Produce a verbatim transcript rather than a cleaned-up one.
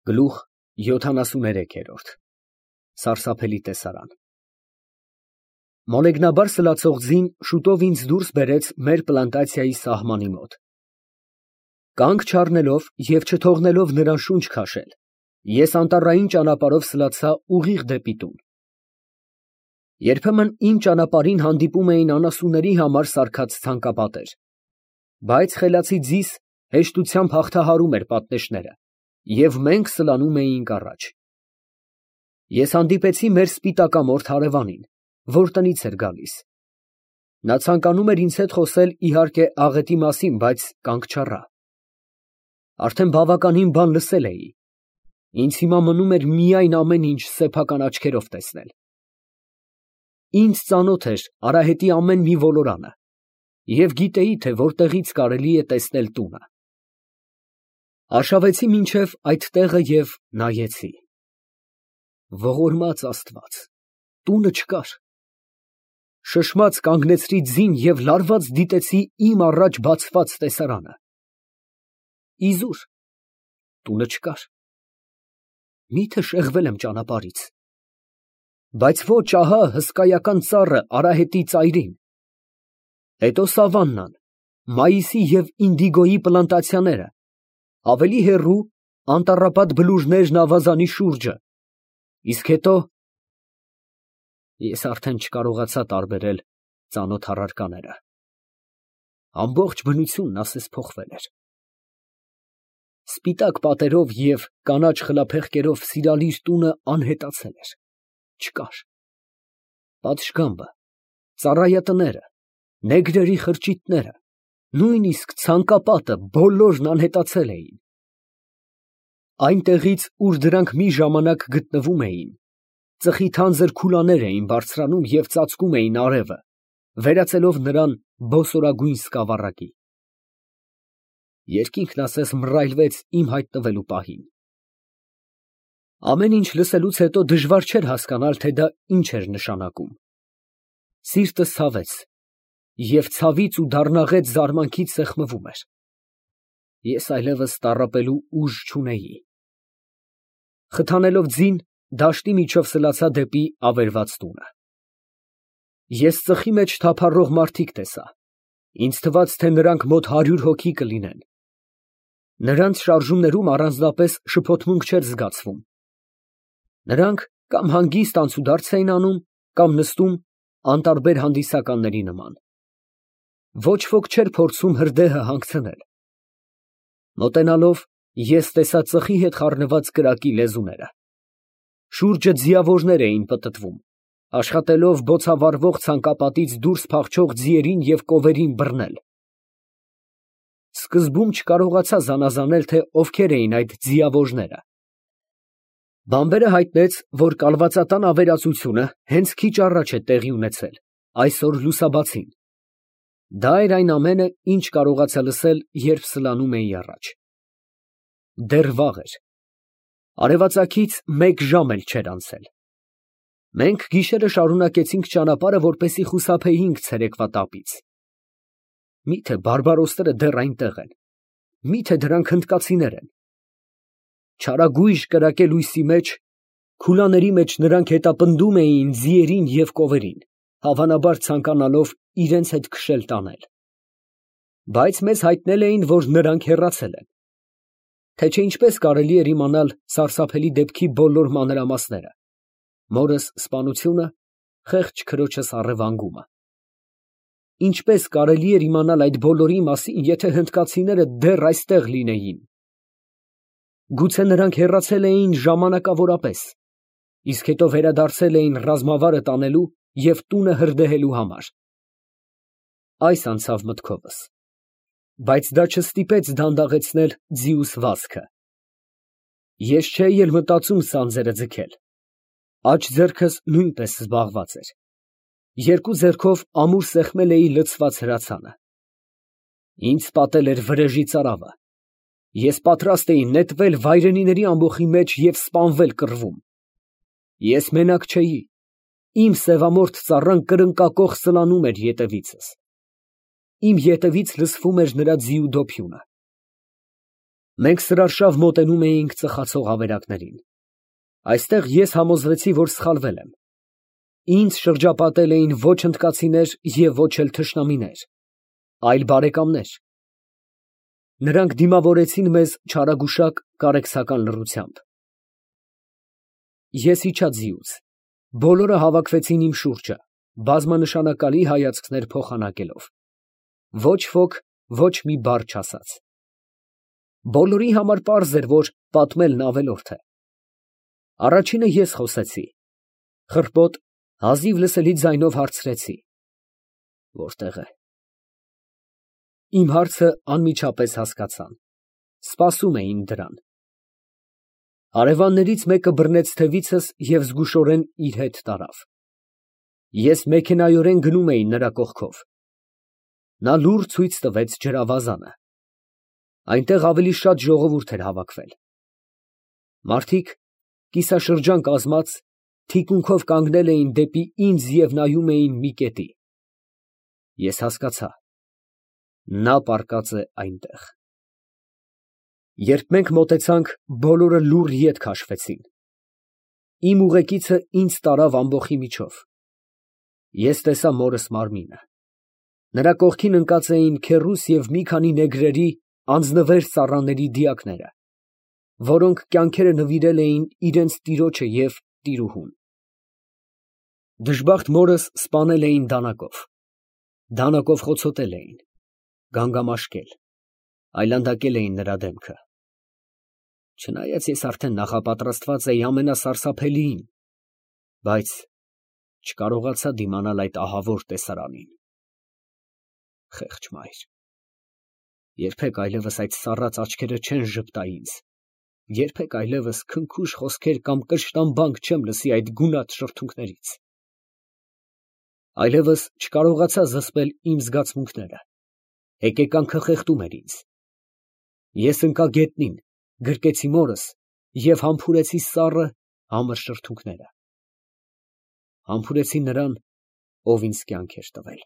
Գլուխ յոթանասուներեքերորդ Սարսափելի տեսարան Մոլեգնաբար սլացող ձին շուտով ինձ դուրս բերեց մեր պլանտացիայի սահմանի մոտ։ Կանգ չառնելով և չթողնելով նրան շունչ քաշել, ես անտառային ճանապարհով սլացա ուղիղ դեպի տուն։ Երբեմն իմ ճանապարհին հանդիպում էին անասունների համար սարքած ցանկապատեր, բայց խելացի ձիս հեշտությամբ հաղթահարում էր պատնեշները, և մենք սլանում էինք առաջ։ Ես հանդիպեցի մեր սպիտակամորթ հարևանին, որ տնից էր գալիս։ Նա ցանկանում էր ինձ հետ խոսել, իհարկե, աղետի մասին, բայց կանգ չառա։ Արդեն բավականին բան լսել էի, ինձ հիմա մնում էր միայն ամեն ինչ սեփական աչքերով տեսնել։ Ինձ ծանոթ էր արահետի ամեն մի ոլորանը և գիտեի, թե որտեղից կարելի է տեսնել տունը։ Արշավեցի մինչև այդ տեղը և նայեցի։ Ողորմած Աստված, տունը չկար։ Շշմած կանգնեցրի ձին և լարված դիտեցի իմ առաջ բացված տեսարանը։ Իզուր, տունը չկար։ Մի՞թե շեղվել եմ ճանապարհից։ Բայց ոչ, ահա հսկայական ծառը արահետի ծայրին։ Հետո սավաննան, մայիսի և ինդիգոյի պլանտացիաները, ավելի հեռու անտառապատ բլուրներն ավազանի շուրջը, իսկ հետո… Ես արդեն չկարողացա տարբերել ծանոթ առարկաները։ Ամբողջ բնությունն ասես փոխվել էր։ Սպիտակ պատերով և կանաչ խլափեղկերով սիրալիր տունը անհետացել էր, չկար։ Պատշգամբը, ծառայատները, նեգրերի խրճիթները, նույնիսկ ցանկապատը բոլորն անհետացել էին։ Այնտեղից, ուր դրանք մի ժամանակ գտնվում էին, ծխի թանձր քուլաներ էին բարձրանում և ծածկում էին արևը, վերածելով նրան բոսորագույն սկավառակի։ Երկինքն ասես մռայլվեց իմ հայտնվելու պահին։ Ամեն ինչ լսելուց հետո դժվար չէր հասկանալ, թե դա ինչ էր նշանակում։ Սիրտս ցավեց և ցավից ու դառնաղետ զարմանքից սեղմվում էր։ Ես այլևս տառապելու ուժ չունեի։ Խթանելով ձին, դաշտի միջով սլացա դեպի ավերված տունը։ Ես ծխի մեջ թափառող մարդիկ տեսա, ինձ թվաց, թե նրանք մոտ հարյուր հոգի կլինեն։ Նրանց շարժումներում առանձնապես շփոթմունք չէր զգացվում։ Նրանք կամ հանգիստ անցուդարձ էին անում, կամ նստում անտարբեր հանդիսականների նման։ Ոչ ոք չէր փորձում հրդեհը հանգցնել։ Մոտենալով, ես տեսա ծխի հետ խառնված կրակի լեզուները։ Շուրջը ձիավորներ էին պտտվում, աշխատելով բոցավառվող ցանկապատից դուրս փախչող ձիերին և կովերին բռնել։ Սկզբում չկարողացա զանազանել, թե ովքեր էին այդ ձիավորները։ Բամբերը հայտնեց, որ կալվածատան ավերածությունը հենց քիչ առաջ է տեղի ունեցել, այսօր լուսաբացին։ Դա էր այն ամենը, ինչ կարողացա լսել, երբ սլանում էի առաջ։ Դեռ վաղ էր։ Արևածագից մեկ ժամ էլ չէր անցել։ Մենք գիշերը շարունակեցինք ճանապարհը, որպեսզի խուսափեինք ցերեկվա տապից։ Մի՞թե բարբարոսները դեռ այնտեղ են, մի՞թե դրանք հնդկացիներ են։ Չարագույժ կրակե լույսի մեջ, քուլաների մեջ նրանք հետապնդում էին ձիերին և կովերին, հավանաբար ցանկանալով իրենց հետ քշել տանել։ Բայց մեզ հայտնել էին, որ նրանք հեռացել են։ Թե չէ ինչպես կարելի էր իմանալ սարսափելի դեպքի բոլոր մանրամասները, մորս սպանությունը, խեղճ քրոջս առևանգումը։ Ինչպես կարելի էր իմանալ այդ բոլորի մասին, եթե հնդկացիները դեռ այստեղ լինեին։ Գուցե նրանք հեռացել էին ժամանակավորապես, իսկ հետո վերադարձել էին ռազմավարը տանելու և տունը հրդեհելու համար։ Այս անցավ մտքովս, բայց դա չստիպեց դանդաղեցնել ձիուս վազքը։ Ես չէի էլ մտածում սանձերը ձգել, աջ ձեռքս նույնպես զբաղված էր, երկու ձեռքով ամուր սեղմել էի լցված հրացանը։ Ինձ պատել էր վրեժի ծարավը, ես պատրաստ էի նետվել վայրենիների ամբոխի մեջ և սպանվել կռվում։ Ես մենակ չէի, իմ սևամորթ ծառան կրնկակոխ սլանում էր ետևիցս։ Իմ ետևից լսվում էր նրա ձիու դոփյունը։ Մենք սրարշավ մոտենում էինք ծխացող ավերակներին։ Այստեղ ես համոզվեցի, որ սխալվել եմ։ Ինձ շրջապատել էին ոչ հնդկացիներ և ոչ էլ թշնամիներ, այլ բարեկամներ։ Նրանք դիմավորեցին մեզ չարագուշակ կարեկցական լռությամբ։ Ես իջա ձիուց, բոլորը հավաքվեցին իմ շուրջը, բազմանշանակալի հայացքներ փոխանակելով։ Ոչ ոք ոչ մի բառ չասաց։ Բոլորի համար պարզ էր, որ պատմելն ավելորդ է։ Առաջինը ես խոսեցի, խռպոտ, հազիվ լսելի ձայնով հարցրեցի. «Որտե՞ղ է»։ Իմ հարցը անմիջապես հասկացան, սպասում էին դրան։ Հարևաններից մեկը բռնեց թևիցս և զգուշորեն իր հետ տարավ։ Ես մեքենայորեն գնում էի նրա կողքով։ Նա լուռ ցույց տվեց ջրավազանը։ Այնտեղ ավելի շատ ժողովուրդ էր հավաքվել։ Մարդիկ, կիսաշրջան կազմած, թիկունքով կանգնել էին դեպի ինձ և նայում էին մի կետի։ Ես հասկացա. նա պառկած է այնտեղ։ Երբ մենք մոտեցանք, բոլորը լուռ ետ քաշվեցին։ Իմ ուղեկիցը ինձ տարավ ամբոխի միջով։ Ես տեսա մորս մարմինը։ Նրա կողքին ընկած էին քեռուս և մի քանի նեգրերի անձնվեր ծառաների դիակները, որոնք կյանքերը նվիրել էին իրենց տիրոջը և տիրուհուն։ Դժբախտ մորս սպանել էին դանակով։ Դանակով խոցոտել էին, գանգամաշկել, այլանդակել էին նրա դեմքը։ Չնայած ես արդեն նախապատրաստված էի ամենասարսափելիին, բայց չկարողացա դիմանալ այդ ահավոր տեսարանին։ Խեղճ մայր, երբեք այլևս այդ սառած աչքերը չեն ժպտա ինձ, երբեք այլևս քնքուշ խոսքեր կամ կշտամբանք չեմ լսի այդ գունատ շրթունքներից։ Այլևս չկարողացա զսպել իմ զգացմունքները, հեկեկանքը խեղդում էր ինձ։ Ես ընկա գետնին, գրկեցի մորս և համբուրեցի սառը, համր շրթունքները։ Համբուրեցի նրան, ով ինձ կյանք էր տվել։